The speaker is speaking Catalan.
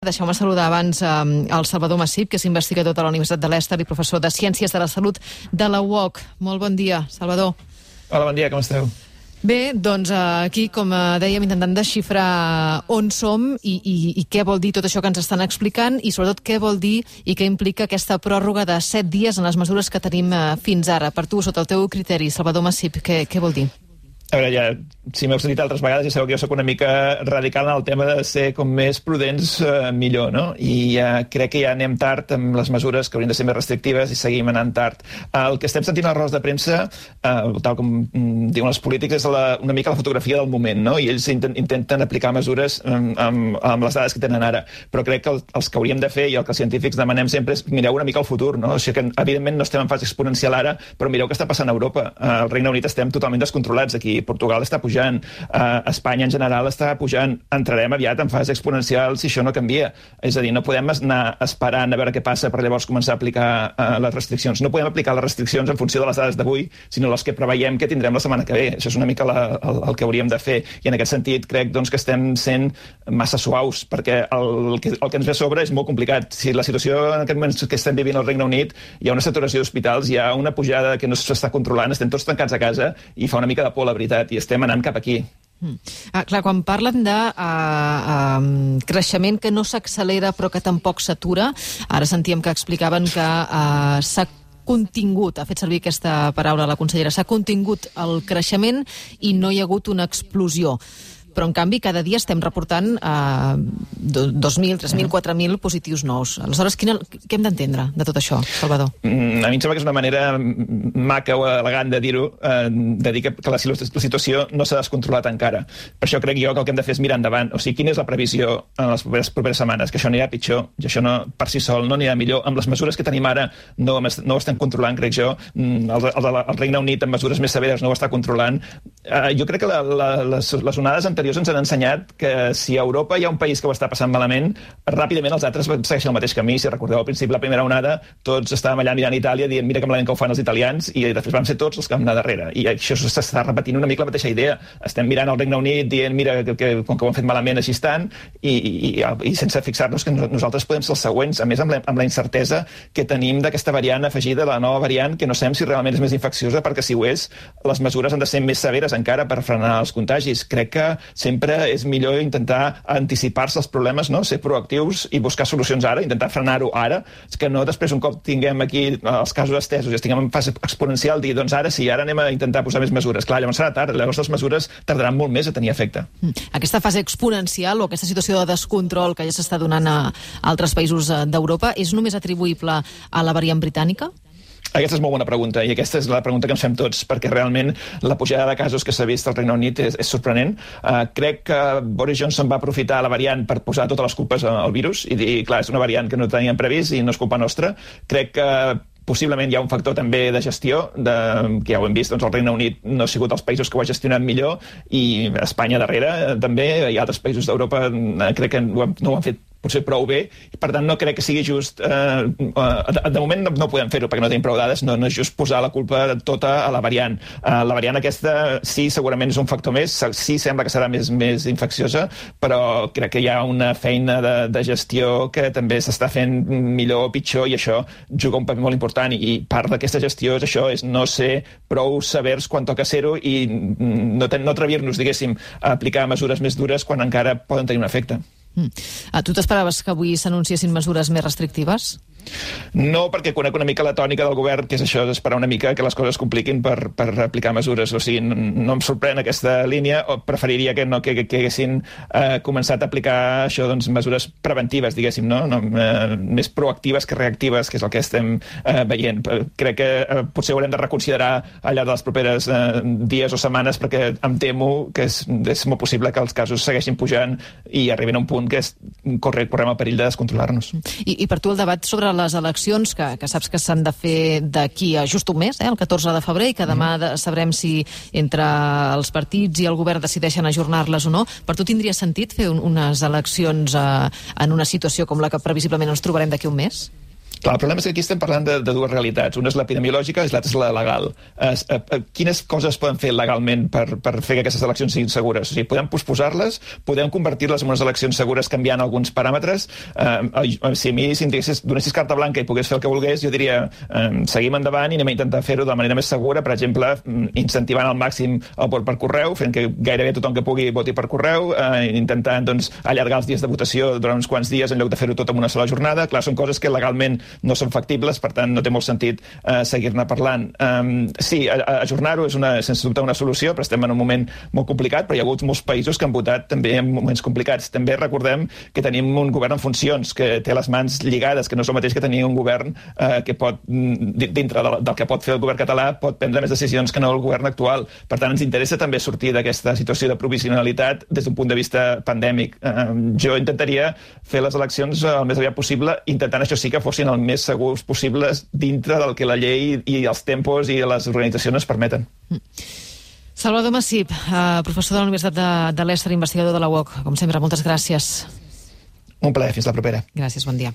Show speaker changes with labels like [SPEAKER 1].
[SPEAKER 1] Deixeu-me saludar abans el Salvador Massip, que és investigador de la Universitat de l'Ester i professor de Ciències de la Salut de la UOC. Molt bon dia, Salvador.
[SPEAKER 2] Hola, bon dia, com esteu?
[SPEAKER 1] Bé, doncs aquí, com dèiem, intentant desxifrar on som i què vol dir tot això que ens estan explicant i sobretot què vol dir i què implica aquesta pròrroga de 7 dies en les mesures que tenim fins ara. Per tu, sota el teu criteri, Salvador Massip, què vol dir?
[SPEAKER 2] A veure, ja, si m'heu sentit altres vegades, ja sabeu que jo soc una mica radical en el tema de ser com més prudents millor, no? I crec que ja anem tard amb les mesures que haurien de ser més restrictives i seguim anant tard. El que estem sentint a les rodes de premsa, tal com diuen els polítics, és una mica la fotografia del moment, no? I ells intenten aplicar mesures amb les dades que tenen ara. Però crec que els que hauríem de fer i el que els científics demanem sempre és mireu una mica al futur, no? O sigui que, evidentment, no estem en fase exponencial ara, però mireu què està passant a Europa. Al Regne Unit estem totalment descontrolats aquí. Portugal està pujant, Espanya en general està pujant, entrarem aviat en fase exponencial si això no canvia. És a dir, no podem anar esperant a veure què passa per llavors començar a aplicar les restriccions. No podem aplicar les restriccions en funció de les dades d'avui, sinó les que preveiem que tindrem la setmana que ve. Això és una mica el que hauríem de fer. I en aquest sentit crec doncs, que estem sent massa suaus, perquè el que ens ve a sobre és molt complicat. Si la situació en aquest moment que estem vivint al Regne Unit, hi ha una saturació d'hospitals, hi ha una pujada que no s'està controlant, estem tots tancats a casa i fa una mica de por, la veritat, i estem anant cap aquí.
[SPEAKER 1] Clar, quan parlen de creixement que no s'accelera però que tampoc s'atura, ara sentíem que explicaven que s'ha contingut, ha fet servir aquesta paraula la consellera, s'ha contingut el creixement i no hi ha hagut una explosió. Però, en canvi, cada dia estem reportant 2.000, 3.000, 4.000 positius nous. Aleshores, què hem d'entendre de tot això, Salvador?
[SPEAKER 2] A mi em sembla que és una manera maca o elegant de dir-ho, de dir que la situació no s'ha descontrolat encara. Per això crec jo que el que hem de fer és mirar endavant. O sigui, quina és la previsió en les properes setmanes? Que això anirà pitjor, i això no, per si sol no anirà millor. Amb les mesures que tenim ara no ho estem controlant, crec jo. El Regne Unit, amb mesures més severes, no ho està controlant. Jo crec que les onades anteriors ens han ensenyat que si a Europa hi ha un país que ho està passant malament, ràpidament els altres segueixen el mateix camí. Si recordeu al principi la primera onada, tots estàvem allà mirant Itàlia dient mira que malament que ho fan els italians, i després vam ser tots els que vam anar darrere. I això s'està repetint una mica la mateixa idea. Estem mirant el Regne Unit dient mira que com que ho han fet malament així estan, i sense fixar-nos que nosaltres podem ser els següents, a més amb la incertesa que tenim d'aquesta variant afegida, la nova variant, que no sabem si realment és més infecciosa, perquè si ho és, les mesures han de ser més severes encara per frenar els contagis. Crec que sempre és millor intentar anticipar-se als problemes, no? Ser proactius i buscar solucions ara, intentar frenar-ho ara, que no després un cop tinguem aquí els casos estesos i estiguem en fase exponencial, dir, doncs ara sí, ara anem a intentar posar més mesures. Clar, llavors serà tard, llavors les mesures tardaran molt més a tenir efecte.
[SPEAKER 1] Aquesta fase exponencial o aquesta situació de descontrol que ja s'està donant a altres països d'Europa és només atribuïble a la variant britànica?
[SPEAKER 2] Aquesta és molt bona pregunta, i aquesta és la pregunta que ens fem tots, perquè realment la pujada de casos que s'ha vist al Regne Unit és sorprenent. Crec que Boris Johnson va aprofitar la variant per posar totes les culpes al virus i dir, clar, és una variant que no teníem previst i no és culpa nostra. Crec que possiblement hi ha un factor també de gestió, que ja ho hem vist, doncs el Regne Unit no ha sigut dels països que ho ha gestionat millor, i Espanya darrere també, i altres països d'Europa crec que no ho han fet potser prou bé, i per tant no crec que sigui just de moment no podem fer-ho perquè no tenim prou dades, no és just posar la culpa tota a la variant. La variant aquesta sí, segurament és un factor més, sí sembla que serà més infecciosa, però crec que hi ha una feina de gestió que també s'està fent millor o pitjor, i això juga un paper molt important, i part d'aquesta gestió és això, és no ser prou severs quan toca ser-ho i no atrevir-nos, diguéssim, a aplicar mesures més dures quan encara poden tenir un efecte.
[SPEAKER 1] Tu t'esperaves que avui s'anunciessin mesures més restrictives?
[SPEAKER 2] No, perquè conec una mica la tònica del govern, que és això, d'esperar una mica que les coses es compliquin per aplicar mesures. O sigui, no em sorprèn aquesta línia, o preferiria que haguessin començat a aplicar això, doncs, mesures preventives, diguéssim, no? Més proactives que reactives, que és el que estem veient. Crec que potser haurem de reconsiderar al llarg de les properes dies o setmanes, perquè em temo que és molt possible que els casos segueixin pujant i arribin a un punt que correm el perill de descontrolar-nos.
[SPEAKER 1] I per tu el debat sobre les eleccions, que saps que s'han de fer d'aquí a just un mes, el 14 de febrer, i que demà sabrem si entre els partits i el govern decideixen ajornar-les o no, per tu tindria sentit fer unes eleccions en una situació com la que previsiblement ens trobarem d'aquí un mes?
[SPEAKER 2] Clar, el problema és que aquí estem parlant de dues realitats. Una és l'epidemiològica i l'altra és la legal. Quines coses poden fer legalment per fer que aquestes eleccions siguin segures? O sigui, podem posposar-les, podem convertir-les en unes eleccions segures canviant alguns paràmetres. Si a mi donessis carta blanca i pogués fer el que volgués, jo diria seguim endavant i anem a intentar fer-ho de la manera més segura, per exemple, incentivant al màxim el vot per correu, fent que gairebé tothom que pugui voti per correu, intentant doncs, allargar els dies de votació durant uns quants dies en lloc de fer-ho tot en una sola jornada. Clar, són coses que legalment no són factibles, per tant no té molt sentit seguir-ne parlant. Sí, ajornar-ho és sense dubte una solució, però estem en un moment molt complicat, però hi ha hagut molts països que han votat també en moments complicats. També recordem que tenim un govern en funcions, que té les mans lligades, que no és el mateix que tenir un govern que pot, dintre del que pot fer el govern català, pot prendre més decisions que no el govern actual. Per tant, ens interessa també sortir d'aquesta situació de provisionalitat des d'un punt de vista pandèmic. Jo intentaria fer les eleccions el més aviat possible, intentant això sí que fossin el més segurs possibles dintre del que la llei i els tempos i les organitzacions ens permeten.
[SPEAKER 1] Salvador Massip, professor de la Universitat de Leicester, investigador de la UOC. Com sempre, moltes gràcies.
[SPEAKER 2] Un plaer, fins la propera.
[SPEAKER 1] Gràcies, bon dia.